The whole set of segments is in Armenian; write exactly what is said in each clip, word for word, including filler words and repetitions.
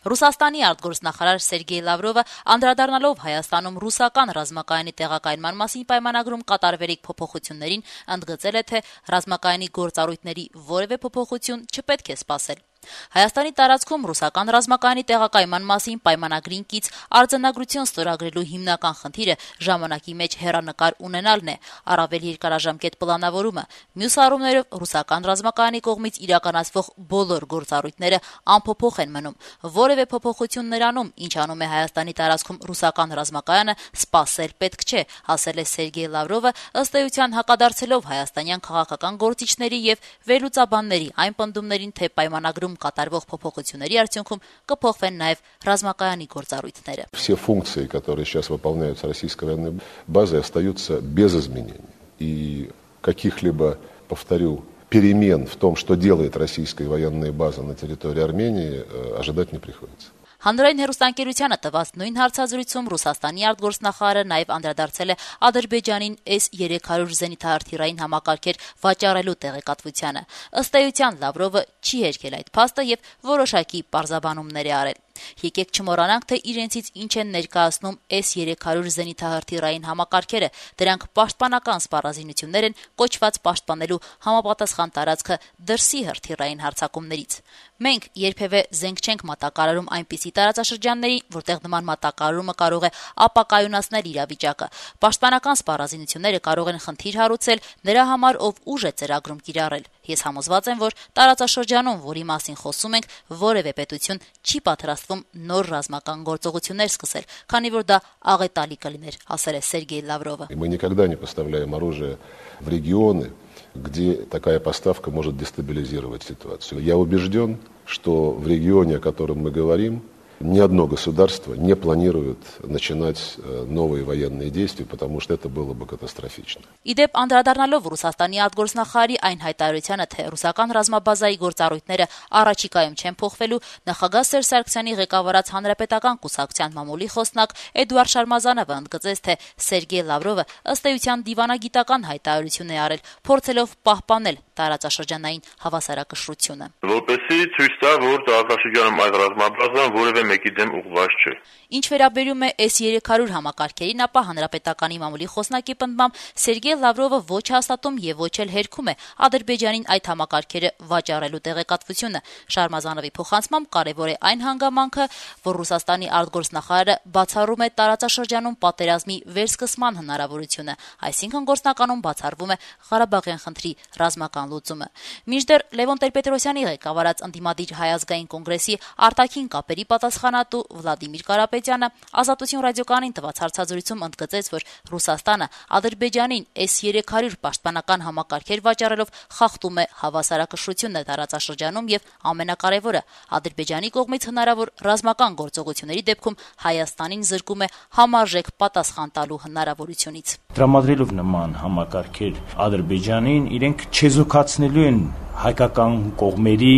Ռուսաստանի արտգործնախարար Սերգեյ Լավրովը անդրադառնալով Հայաստանում ռուսական ռազմակայանի տեղակայնման մասին պայմանագրում կատարվելիք փոփոխություններին ընդգծել է, թե ռազմակայանի գործառույթների որևէ փոփոխություն չպետք է սպասել։ Հայաստանի տարածքում ռուսական ռազմակայանի տեղակայման մասին պայմանագրին կից արձանագրություն ստորագրելու հիմնական խնդիրը ժամանակի մեջ հեռանկար ունենալն է, առավել երկարաժամկետ պլանավորումը։ Մյուս առումներով ռուսական ռազմակայանի կողմից իրականացվող բոլոր գործառույթները անփոփոխ են մնում։ Որևէ փոփոխություն նրանում, ինչ անում է Հայաստանի տարածքում ռուսական ռազմակայանը, սպասել պետք չէ, ասել է Սերգեյ Լավրովը, ըստ էության հակադարձելով հայաստանյան քաղաքական գործիչների եւ վերլուծաբանների այն պնդումներին, թե պայմանագրում կատարվող փոփոխությունների արդյունքում կփոխվեն նաև ռազմակայանի գործառույթները։ Все функции, которые сейчас выполняются российской военной базой, остаются без изменений. И каких-либо, повторю, перемен в том, что делает российская военная база на территории Армении, ожидать не приходится. Հանրային հեռուստաընկերությանը տված նույն հարցազրույցում Ռուսաստանի արտգործնախարարը նաև անդրադարձել է Ադրբեջանին S երեք հարյուր զենիթահրթիռային համակարգեր վաճառելու տեղեկատվությանը։ Ըստ էության Լավրովը չի հերքել այդ փաստը եւ որոշակի պարզաբանումներ է արել։ Եկեք չմոռանանք, թե իրենցից ինչ են ներկայացնում S երեք հարյուր զենիթահրթիռային համակարգերը։ Դրանք պաշտպանական սպառազինություններ են կոչված պաշտպանելու համապատասխան տարածքը դրսի հրթիռային հարձակումներից։ Մենք երբևէ զենք չենք մատակարարում այնպիսի տարածաշրջանների, որտեղ նման մատակարարումը կարող է ապակայունացնել իրավիճակը։ Պաշտպանական սպառազինությունները կարող են խնդիր հարուցել նրա համար, ով ուժ է ծրագրում կիրառել։ Ես համոզված եմ, որ տարածաշրջանում, որի մասին խոսում ենք, որևէ պետություն չի պատրաստվում նոր ռազմական գործողություններ սկսել, քանի որ դա աղետալի կլիներ, ասել է Սերգեյ Լավրովը։ Мы никогда не поставляем оружие в регионы, где такая поставка может дестабилизировать ситуацию. Я убежден, что в регионе, о котором мы говорим, ни одно государство не планирует начинать новые военные действия, потому что это было бы катастрофично. Իդեպ անդրադառնալով Ռուսաստանի արտգործնախարարի այն հայտարարությանը, թե ռուսական ռազմաբազայի գործառույթները առաջիկայում չեն փոխվելու, նախագահ Սերժ Սարգսյանի ղեկավարած հանրապետական կուսակցության մամուլի խոսնակ Էդուարդ Շարմազանովը ընդգծեց, թե Սերգեյ Լավրովը ըստ էության դիվանագիտական հայտարարություն է արել, փորձելով պահպանել տարածաշրջանային հավասարակշռությունը։ Որպեսզի ցույց տա, որ տարածաշրջանում այդ ռազմաբազան որևէ մեկի դեմ ուղղված չէ։ Ինչ վերաբերում է S երեք հարյուր համակարգերին, ապա հանրապետականի մամուլի խոսնակի պնդմամբ Սերգեյ Լավրովը ոչ հաստատում եւ ոչ էլ հերքում է Ադրբեջանին այդ համակարգերը վաճառելու տեղեկատվությունը։ Շարմազանովի փոխանցմամբ կարևոր է այն հանգամանքը, որ Ռուսաստանի արտգործնախարարը բացառում է տարածաշրջանում պատերազմի վերսկսման հնարավորությունը, այսինքն գործնականում բացառվում է Ղարաբաղյան խնդրի ռազմական լուծումը։ Մինչդեռ Լևոն Տեր-Պետրոսյանի ղեկավարած ընդդիմադիր Հայ ազգային կոնգրեսի արտաքին կապերի պատասխանատու Վլադիմիր Կարապետյանը Ազատություն ռադիոկայանին տված հարցազրույցում ընդգծեց, որ Ռուսաստանը Ադրբեջանին S երեք հարյուր պաշտպանական համակարգեր վաճառելով խախտում է հավասարակշռությունը տարածաշրջանում եւ ամենակարևորը Ադրբեջանի կողմից հնարավոր ռազմական գործողությունների դեպքում Հայաստանին զրկում է համարժեք պատասխան տալու հնարավորությունից։ Տրամադրելով նման համակարգեր Ադրբեջանին, իրենք չեզոքացնելու են հայկական կողմերի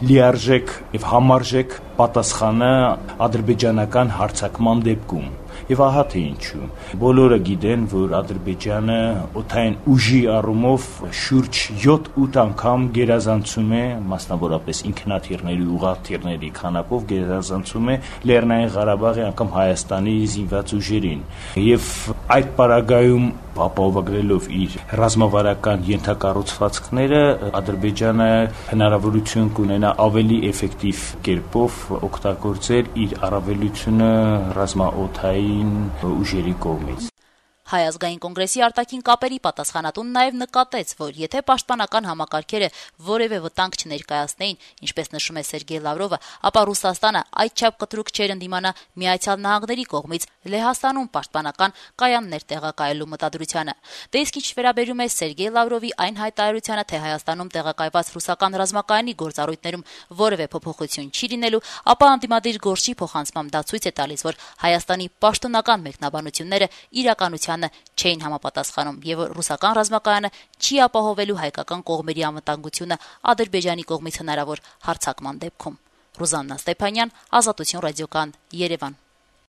լիարժեք եւ համարժեք պատասխանը ադրբեջանական հարձակման դեպքում։ Եվ ահա թե ինչու։ Բոլորը գիտեն, որ Ադրբեջանը օդային ուժի առումով շուրջ յոթ-ութ անգամ գերազանցում է, մասնավորապես ինքնաթիռների, ուղղաթիռների քանակով գերազանցում է Լեռնային Ղարաբաղի անգամ Հայաստանի զինված ուժերին։ Եվ այդ պարագայում ապահովագրելով իր ռազմավարական ենթակառուցվածքները, Ադրբեջանը հնարավորություն կունենա ավելի էֆեկտիվ կերպով օգտագործել իր առավելությունը ռազմաօդային ուժերի կողմից։ Հայ ազգային կոնգրեսի արտաքին կապերի պատասխանատուն նաև նկատեց, որ եթե պաշտպանական համակարգերը որևէ վտանգ չներկայացնեին, ինչպես նշում է Սերգեյ Լավրովը, ապա Ռուսաստանը այդչափ կտրուկ չէր ընդդիմանա Միացյալ Նահանգների կողմից Լեհաստանում պաշտպանական կայաններ տեղակայելու մտադրությանը։ Դե իսկ ինչ վերաբերում է Սերգեյ Լավրովի այն հայտարարությանը, թե Հայաստանում տեղակայված ռուսական ռազմակայանի գործառույթներում որևէ փոփոխություն չի լինելու, ապա անդիմադիր գործի փոխանցմամբ դա ցույց է տալիս, որ Հայաստանի պաշտոնական մեկնաբանությունները իրականության չէին համապատասխանում եւ ռուսական ռազմակայանը չի ապահովելու հայկական կողմերի անվտանգությունը Ադրբեջանի կողմից հնարավոր հարձակման դեպքում։ Ռուզաննա Ստեփանյան, Ազատություն ռադիոկայան, Երևան։